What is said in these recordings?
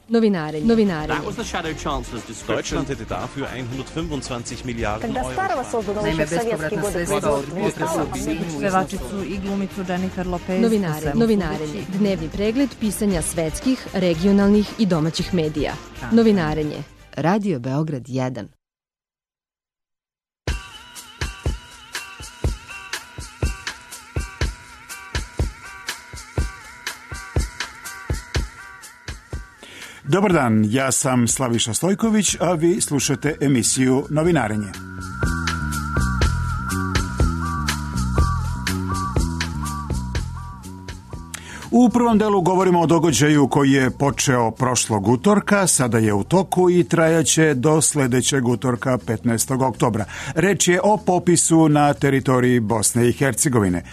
Novinarenje. Deutschland hätte dafür 125 Milijarden Kada Starova sozda Naime, bespovratna sredstva od pevačicu i glumicu Jennifer Lopez. Novinarenje. Dnevni pregled pisanja svetskih, regionalnih i domaćih medija. Novinarenje. Radio Beograd 1. Dobar dan, ja sam Slaviša Stojković, a vi slušate emisiju Novinarenje. U prvom delu govorimo o događaju koji je počeo prošlog utorka, sada je u toku i trajaće do sledećeg utorka 15. oktobra. Reč je o popisu na teritoriji Bosne i Hercegovine.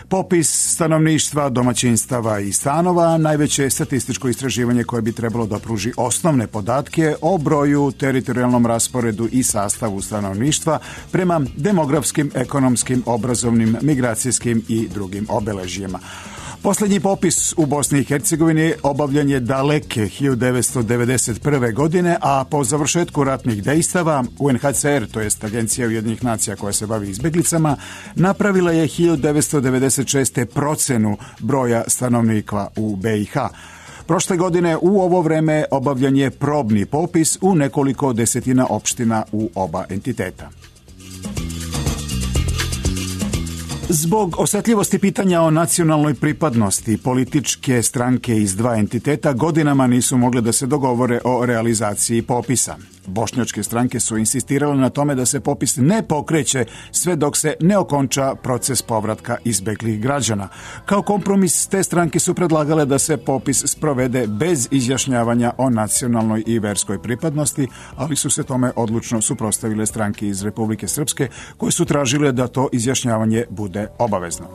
Popis stanovništva, domaćinstava i stanova, najveće statističko istraživanje koje bi trebalo da pruži osnovne podatke o broju, teritorijalnom rasporedu i sastavu stanovništva prema demografskim, ekonomskim, obrazovnim, migracijskim i drugim obeležjima. Poslednji popis u Bosni i Hercegovini obavljen je daleke 1991. godine, a po završetku ratnih dejstava UNHCR, to jest Agencija Ujedinjenih nacija koja se bavi izbeglicama, napravila je 1996. procenu broja stanovnika u BiH. Prošle godine u ovo vreme obavljen je probni popis u nekoliko desetina opština u oba entiteta. Zbog osetljivosti pitanja o nacionalnoj pripadnosti, političke stranke iz dva entiteta godinama nisu mogle da se dogovore o realizaciji popisa. Bošnjačke stranke su insistirale na tome da se popis ne pokreće sve dok se ne okonča proces povratka izbeglih građana. Kao kompromis te stranke su predlagale da se popis sprovede bez izjašnjavanja o nacionalnoj i verskoj pripadnosti, ali su se tome odlučno suprotstavile stranke iz Republike Srpske koje su tražile da to izjašnjavanje bude obavezno.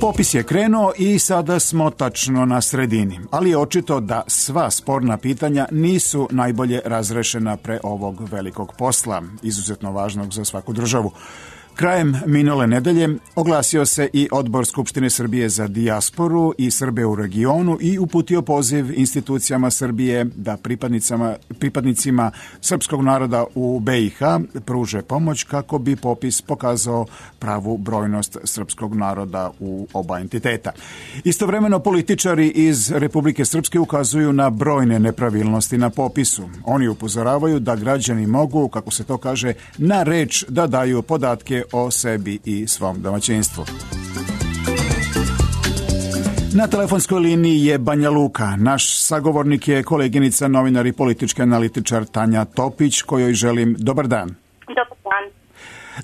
Popis je krenuo i sada smo tačno na sredini, ali je očito da sva sporna pitanja nisu najbolje razrešena pre ovog velikog posla, izuzetno važnog za svaku državu. Krajem minule nedelje oglasio se i Odbor Skupštine Srbije za dijasporu i Srbe u regionu i uputio poziv institucijama Srbije da pripadnicima srpskog naroda u BiH pruže pomoć kako bi popis pokazao pravu brojnost srpskog naroda u oba entiteta. Istovremeno političari iz Republike Srpske ukazuju na brojne nepravilnosti na popisu. Oni upozoravaju da građani mogu, kako se to kaže, na reč da daju podatke o sebi i svom domaćinstvu. Na telefonskoj liniji je Banja Luka. Naš sagovornik je koleginica, novinar i politički analitičar Tanja Topić, kojoj želim dobar dan. Dobar dan.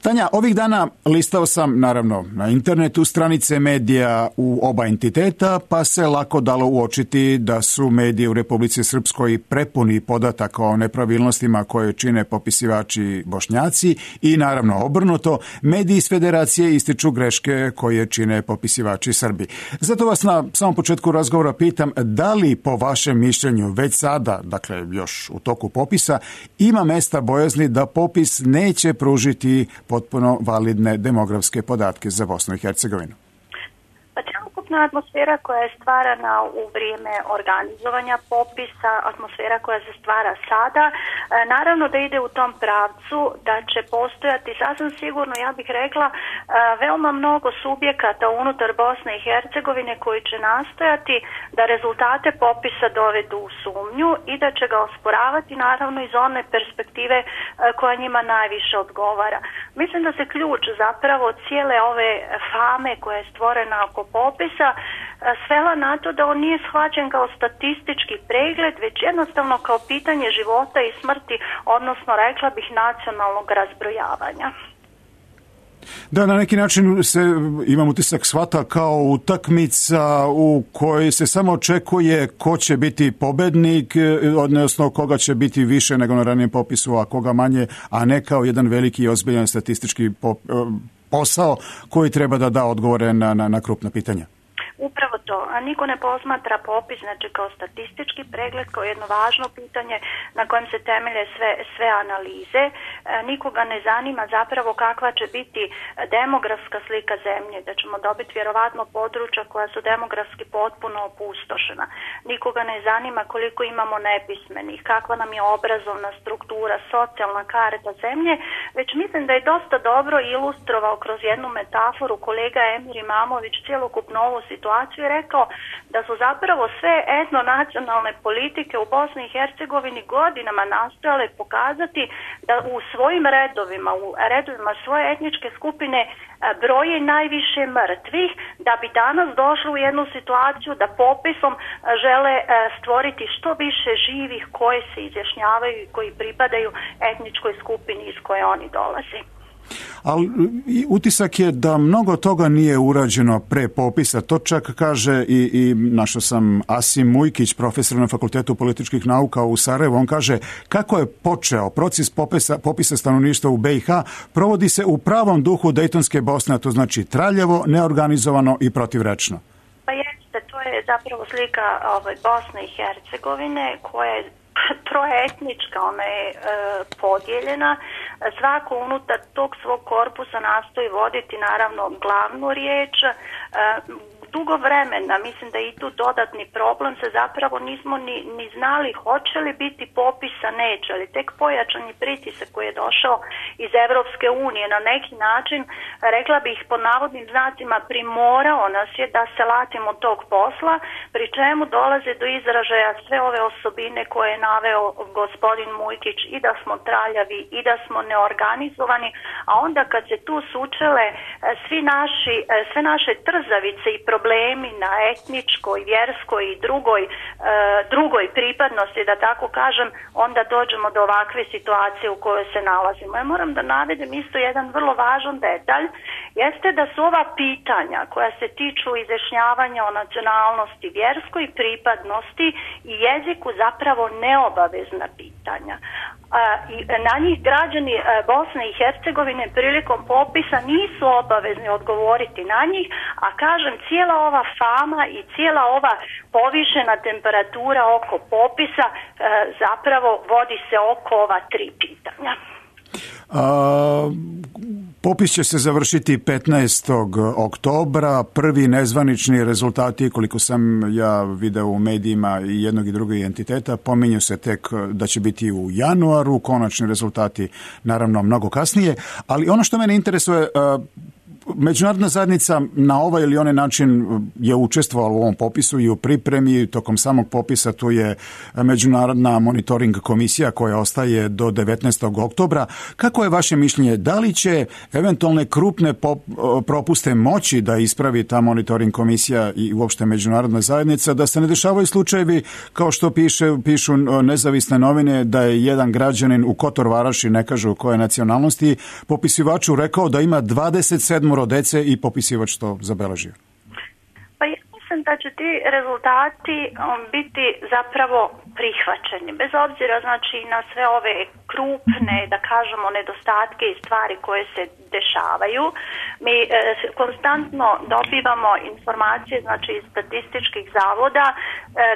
Tanja, ovih dana listao sam, naravno, na internetu stranice medija u oba entiteta, pa se lako dalo uočiti da su mediji u Republici Srpskoj prepuni podataka o nepravilnostima koje čine popisivači Bošnjaci i, naravno, obrnuto, mediji iz Federacije ističu greške koje čine popisivači Srbi. Zato vas na samom početku razgovora pitam da li po vašem mišljenju već sada, dakle još u toku popisa, ima mesta bojazni da popis neće pružiti potpuno validne demografske podatke za Bosnu i Hercegovinu? Pa celokupna atmosfera koja je stvarana u vrijeme organizovanja popisa, atmosfera koja se stvara sada, naravno da ide u tom pravcu da će postojati sasvim sigurno, ja bih rekla, veoma mnogo subjekata unutar Bosne i Hercegovine koji će nastojati da rezultate popisa dovedu u sumnju i da će ga osporavati naravno iz one perspektive koja njima najviše odgovara. Mislim da se ključ zapravo cijele ove fame koja je stvorena oko popisa svela na to da on nije shvaćen kao statistički pregled, već jednostavno kao pitanje života i smrti, odnosno rekla bih nacionalnog razbrojavanja. Da, na neki način se, imam utisak, shvata kao utakmica u kojoj se samo očekuje ko će biti pobednik, odnosno koga će biti više nego na ranijem popisu, a koga manje, a ne kao jedan veliki i ozbiljan statistički posao koji treba da da odgovore na krupna pitanja. Upravo Zašto? Niko ne posmatra popis, znači kao statistički pregled, kao jedno važno pitanje na kojem se temelje sve analize. Nikoga ne zanima zapravo kakva će biti demografska slika zemlje, da ćemo dobiti vjerovatno područja koja su demografski potpuno opustošena. Nikoga ne zanima koliko imamo nepismenih, kakva nam je obrazovna struktura, socijalna karta zemlje, već mislim da je dosta dobro ilustrovao kroz jednu metaforu kolega Emir Imamović cjelokupnu ovu situaciju i rekao da su zapravo sve etnonacionalne politike u Bosni i Hercegovini godinama nastojale pokazati da u svojim redovima, u redovima svoje etničke skupine broje najviše mrtvih, da bi danas došli u jednu situaciju da popisom žele stvoriti što više živih koje se izjašnjavaju i koji pripadaju etničkoj skupini iz koje oni dolaze. Ali utisak je da mnogo toga nije urađeno pre popisa. To čak kaže i našao sam Asim Mujkić, profesor na Fakultetu političkih nauka u Sarajevu. On kaže kako je počeo proces popisa stanovništva u BiH, provodi se u pravom duhu Dejtonske Bosne, a to znači traljavo, neorganizovano i protivrečno. Pa jeste, to je zapravo slika Bosne i Hercegovine koja je troetnička, ona je podijeljena. Svako unutar tog svog korpusa nastoji voditi naravno glavnu riječ. Dugo vremena, mislim da je i tu dodatni problem, se zapravo nismo ni znali hoće li biti popisa, neće, ali tek pojačani pritisak koji je došao iz Evropske unije na neki način, rekla bih pod navodnim znacima, primorao nas je da se latimo tog posla, pri čemu dolaze do izražaja sve ove osobine koje je naveo gospodin Mujkić, i da smo traljavi i da smo neorganizovani, a onda kad se tu sučele sve naše trzavice i problemi na etničkoj, vjerskoj i drugoj pripadnosti, da tako kažem, onda dođemo do ovakve situacije u kojoj se nalazimo. Ja moram da navedem isto jedan vrlo važan detalj, jeste da su ova pitanja koja se tiču izjašnjavanja o nacionalnosti, vjerskoj pripadnosti i jeziku zapravo neobavezna pitanja. I na njih građani Bosne i Hercegovine prilikom popisa nisu obavezni odgovoriti na njih, a kažem, cijela ova fama i cijela ova povišena temperatura oko popisa zapravo vodi se oko ova tri pitanja. Popis će se završiti 15. oktobra. Prvi nezvanični rezultati, koliko sam ja video u medijima i jednog i drugog entiteta, pominju se tek da će biti u januaru, konačni rezultati naravno mnogo kasnije, ali ono što mene interesuje, međunarodna zajednica na ovaj ili onaj način je učestvovala u ovom popisu i u pripremi. Tokom samog popisa tu je međunarodna monitoring komisija koja ostaje do 19. oktobra. Kako je vaše mišljenje? Da li će eventualne krupne propuste moći da ispravi ta monitoring komisija i uopšte međunarodna zajednica, da se ne dešavaju slučajevi kao što pišu nezavisne novine, da je jedan građanin u Kotor Varaši, ne kažu koje nacionalnosti, popisivaču rekao da ima 27 dece i popisivač to zabeležio? Pa ja mislim da će ti rezultati biti zapravo prihvaćeni, bez obzira znači na sve ove krupne, da kažemo, nedostatke i stvari koje se dešavaju. Mi konstantno dobivamo informacije, znači iz statističkih zavoda,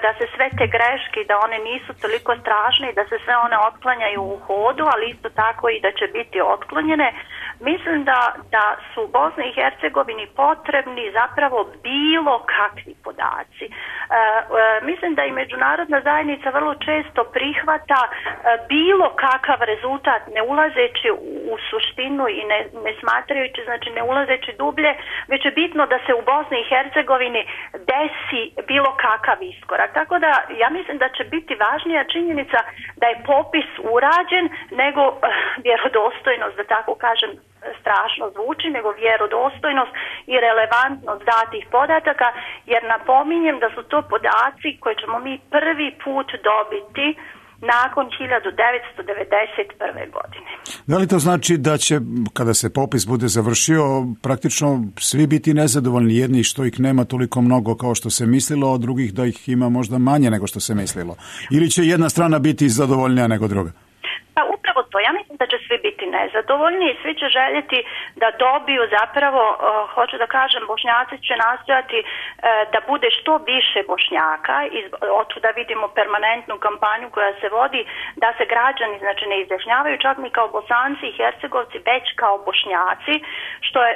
da se sve te greške, da one nisu toliko strašne i da se sve one otklanjaju u hodu, ali isto tako i da će biti otklonjene. Mislim da su Bosni i Hercegovini potrebni zapravo bilo kakvi podaci. Mislim da i međunarodna zajednica vrlo često prihvata bilo kakav rezultat, ne ulazeći u suštinu i ne smatrajući, znači ne ulazeći dublje, već je bitno da se u Bosni i Hercegovini desi bilo kakav iskorak. Tako da ja mislim da će biti važnija činjenica da je popis urađen nego vjerodostojnost, da tako kažem, strašno zvuči, nego vjerodostojnost i relevantnost datih podataka, jer napominjem da su to podaci koje ćemo mi prvi put dobiti nakon 1991. godine. Da li to znači da će, kada se popis bude završio, praktično svi biti nezadovoljni, jedni što ih nema toliko mnogo kao što se mislilo, a drugih da ih ima možda manje nego što se mislilo? Ili će jedna strana biti zadovoljnija nego druga? Pa upravo to. Ja mislim mislim da će svi biti nezadovoljni i svi će željeti da dobiju zapravo, hoću da kažem, Bošnjaci će nastojati da bude što više Bošnjaka, otuda vidimo permanentnu kampanju koja se vodi da se građani znači ne izjašnjavaju čak ni kao Bosanci i Hercegovci, već kao Bošnjaci,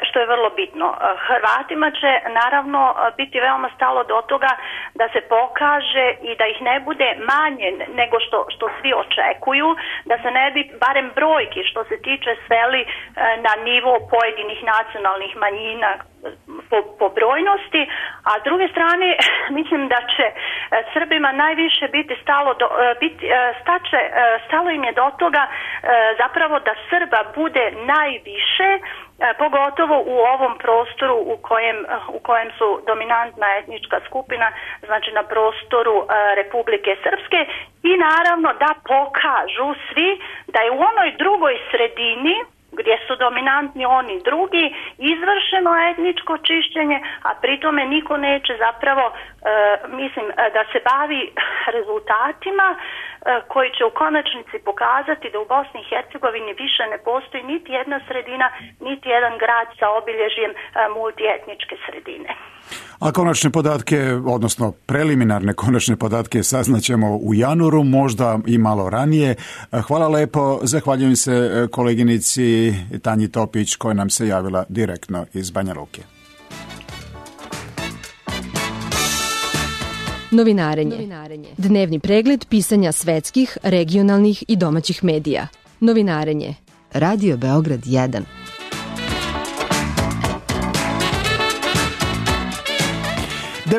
što je vrlo bitno. Hrvatima će naravno biti veoma stalo do toga da se pokaže i da ih ne bude manje nego što svi očekuju, da se ne bi barem brojki što se tiče sveli na nivo pojedinih nacionalnih manjina po brojnosti, a s druge strane mislim da će Srbima najviše biti stalo im je do toga zapravo da Srba bude najviše, pogotovo u ovom prostoru u kojem su dominantna etnička skupina, znači na prostoru Republike Srpske, i naravno da pokažu svi da je u onoj drugoj sredini gdje su dominantni oni drugi izvršeno etničko čišćenje, a pritome niko neće zapravo da se bavi rezultatima koji će u konačnici pokazati da u Bosni i Hercegovini više ne postoji niti jedna sredina, niti jedan grad sa obilježjem multietničke sredine. A konačne podatke, odnosno preliminarne konačne podatke saznaćemo u januaru, možda i malo ranije. Hvala lepo, zahvaljujem se koleginici Tanji Topić koja nam se javila direktno iz Banja Luke. Novinarenje. Dnevni pregled pisanja svetskih, regionalnih i domaćih medija. Novinarenje. Radio Beograd 1.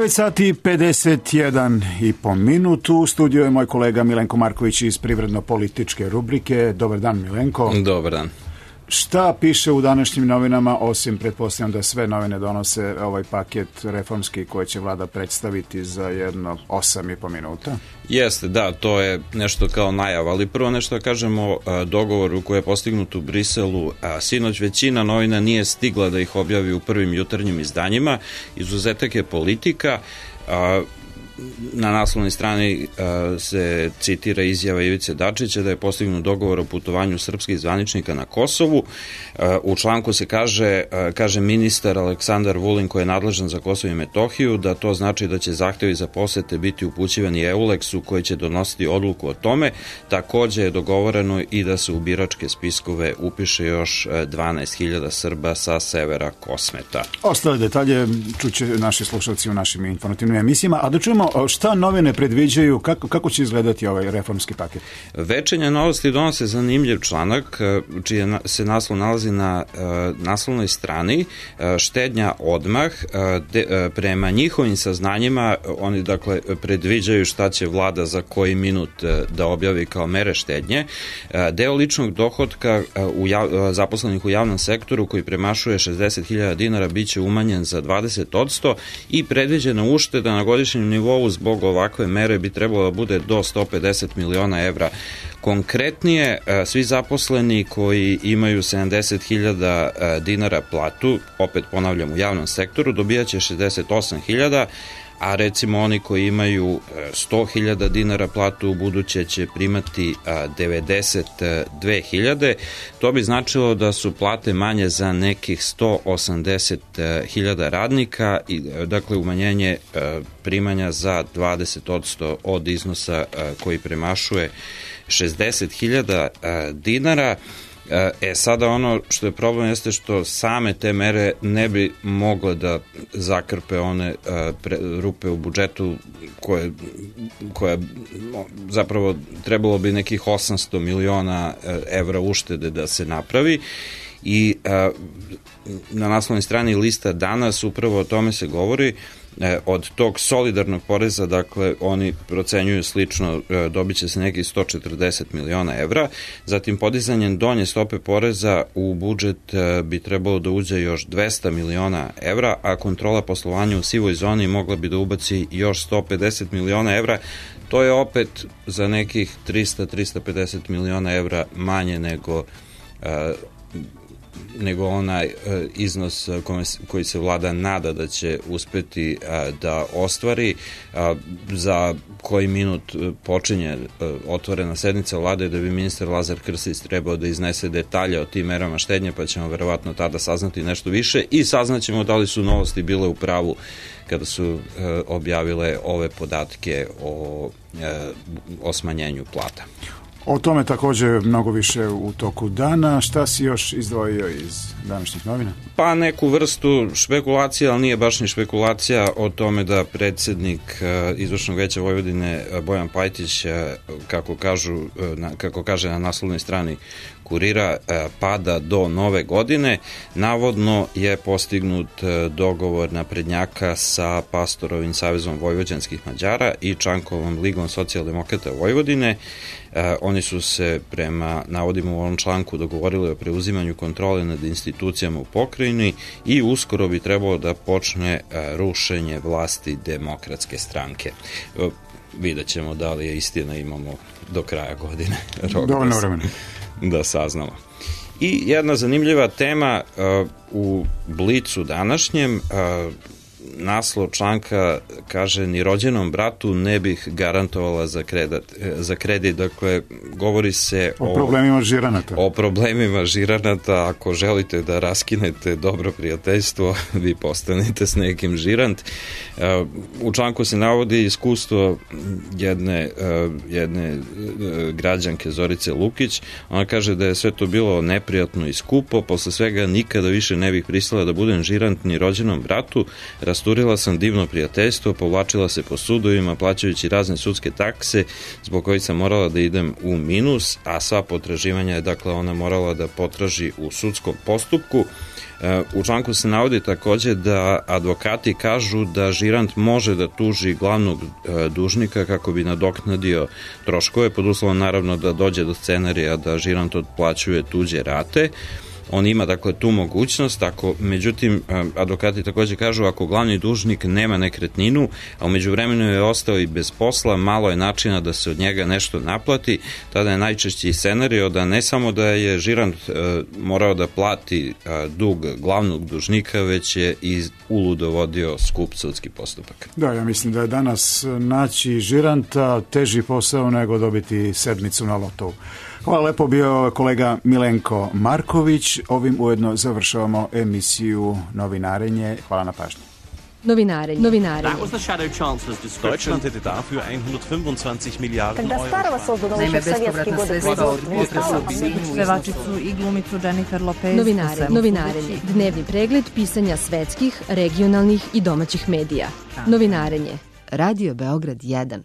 Sati 51,5 minutu. U studiju je moj kolega Milenko Marković iz privredno-političke rubrike. Dobar dan, Milenko. Dobar dan. Šta piše u današnjim novinama, osim pretpostavljam da sve novine donose ovaj paket reformski koji će vlada predstaviti za jedno 8,5 minuta? Jeste, da, to je nešto kao najava, ali prvo nešto da kažemo o dogovoru koji je postignut u Briselu. Sinoć većina novina nije stigla da ih objavi u prvim jutarnjim izdanjima, izuzetak je Politika. Na naslovnoj strani se citira izjava Ivice Dačića da je postignut dogovor o putovanju srpskih zvaničnika na Kosovu. U članku se kaže ministar Aleksandar Vulin, koji je nadležan za Kosovo i Metohiju, da to znači da će zahtevi za posete biti upućivani EULEX-u koji će donositi odluku o tome. Takođe je dogovoreno i da se u biračke spiskove upiše još 12.000 Srba sa severa Kosmeta. Ostale detalje čuće naši slušalci u našim informativnim emisijama, a da čujemo šta novine predviđaju, kako će izgledati ovaj reformski paket? Večernje novosti donose zanimljiv članak, čiji se naslov nalazi na naslovnoj strani, štednja odmah. Prema njihovim saznanjima, oni dakle predviđaju šta će vlada za koji minut da objavi kao mere štednje. Deo ličnog dohotka zaposlenih u javnom sektoru koji premašuje 60.000 dinara biće umanjen za 20% i predviđena ušteda na godišnjem nivou zbog ovakve mere bi trebalo da bude do 150 miliona evra. Konkretnije, svi zaposleni koji imaju 70.000 dinara platu, opet ponavljam u javnom sektoru, dobijaće 68.000, a recimo oni koji imaju 100.000 dinara platu u buduće će primati 92.000. To bi značilo da su plate manje za nekih 180.000 radnika i dakle umanjenje primanja za 20% od iznosa koji premašuje 60.000 dinara. Sada ono što je problem jeste što same te mere ne bi mogle da zakrpe one rupe u budžetu koje zapravo trebalo bi nekih 800 miliona evra uštede da se napravi. I na naslovnoj strani lista Danas upravo o tome se govori. Od tog solidarnog poreza, dakle, oni procenjuju slično, dobit će se nekih 140 miliona evra. Zatim, podizanjem donje stope poreza u budžet bi trebalo da uđe još 200 miliona evra, a kontrola poslovanja u sivoj zoni mogla bi da ubaci još 150 miliona evra. To je opet za nekih 300-350 miliona evra manje nego nego onaj iznos koji se vlada nada da će uspeti da ostvari. Za koji minut počinje otvorena sednica vlade, da bi ministar Lazar Krstić trebao da iznese detalje o tim merama štednje, pa ćemo verovatno tada saznati nešto više i saznaćemo da li su Novosti bile u pravu kada su objavile ove podatke o smanjenju plata. O tome također mnogo više u toku dana. Šta si još izdvojio iz današnjih novina? Pa neku vrstu špekulacija, ali nije baš ni špekulacija, o tome da predsjednik Izvršnog veća Vojvodine Bojan Pajtić, kako kaže na naslovnoj strani Kurira, pada do nove godine. Navodno je postignut dogovor naprednjaka sa Pastorovim savezom vojvođanskih Mađara i Čankovom ligom socijaldemokrata Vojvodine. Oni su se prema navodima u ovom članku dogovorili o preuzimanju kontrole nad institucijama u pokrajini i uskoro bi trebalo da počne rušenje vlasti Demokratske stranke. Vidjet ćemo da li je istina, imamo do kraja godine dovoljno vremena da saznamo. I jedna zanimljiva tema u Blicu današnjem, naslov članka kaže: ni rođenom bratu ne bih garantovala za kredit. Dakle, govori se o problemima žiranata. O problemima žiranata. Ako želite da raskinete dobro prijateljstvo, vi postanete s nekim žirant. U članku se navodi iskustvo jedne građanke Zorice Lukić. Ona kaže da je sve to bilo neprijatno i skupo. Posle svega nikada više ne bih pristala da budem žirant ni rođenom bratu. Rasturila sam divno prijateljstvo, povlačila se po sudovima, plaćajući razne sudske takse, zbog kojih sam morala da idem u minus, a sva potraživanja je, dakle, ona morala da potraži u sudskom postupku. U članku se navodi takođe da advokati kažu da žirant može da tuži glavnog dužnika kako bi nadoknadio troškove, pod uslovom naravno da dođe do scenarija da žirant otplaćuje tuđe rate. On ima, dakle, tu mogućnost. Međutim, advokati također kažu, ako glavni dužnik nema nekretninu, a umeđu vremenu je ostao i bez posla, malo je načina da se od njega nešto naplati, tada je najčešći scenario da ne samo da je žirant morao da plati dug glavnog dužnika, već je i uludo vodio skup sudski postupak. Da, ja mislim da je danas naći žiranta teži posao nego dobiti sedmicu na lotovu. Hvala lepo, bio kolega Milenko Marković. Ovim ujedno završavamo emisiju Novinarenje. Hvala na pažnji. Novinarenje. Deutschland hätte dafür 125 Milliarden Euro. Naime, bespovratna sredstva od pevačicu i glumicu Jennifer Lopez. Novinarenje. Dnevni pregled pisanja svetskih, regionalnih i domaćih medija. Novinarenje. Radio Beograd 1.